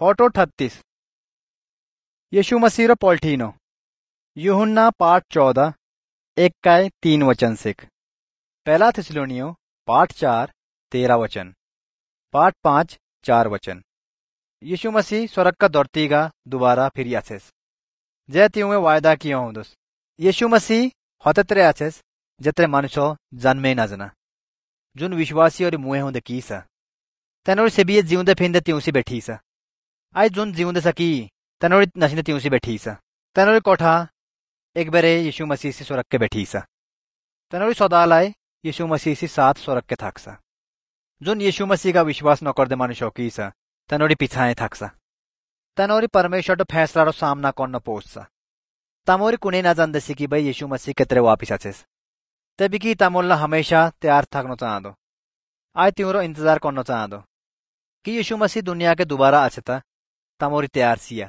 Photo 38 यीशु मसीह रो पोल्ठीनो। यूहन्ना पाठ 14 1-3 वचन सिख। पहला थिस्सलुनीओ पाठ 4 13 वचन, पाठ 5 4 वचन। यीशु मसीह स्वर्ग का धरती का दोबारा फिर आछेस जै तिउए वायदा किया हुंदोस। यीशु मसीह हतत्रे आछेस जत्रे मनुष्य जन्मे ना जना जुन विश्वासी और मुए हुंदे की सा तनोरी सेबिये जीवंदे फिंदे तिउसी बैठी सा। आई जुन जीवंदे सकी तनोरी नशिंदे तिउसी बैठी सा। तनोरी कोठा एक बेरे यीशु मसीह से स्वर्ग के बैठी सा। तनोरी सदालाय यीशु मसीह से साथ स्वर्ग के थाकसा। जुन यीशु मसीह का विश्वास न कर दे मनुष्य की सा तनोरी पिछाए थाकसा। तनोरी परमेश्वर तो फैसला रो सामना करना पोससा। तामोरी कुने ना जानदेसी कि भाई यीशु मसीह केतरे वापिस आछेस। तभी की तामोल्ला हमेशा तैयार थाकनो चाहदो। आय त्योरो इंतजार करनो चाहदो कि यीशु मसीह दुनिया के दोबारा आछेता तामोरी तैयार सिया।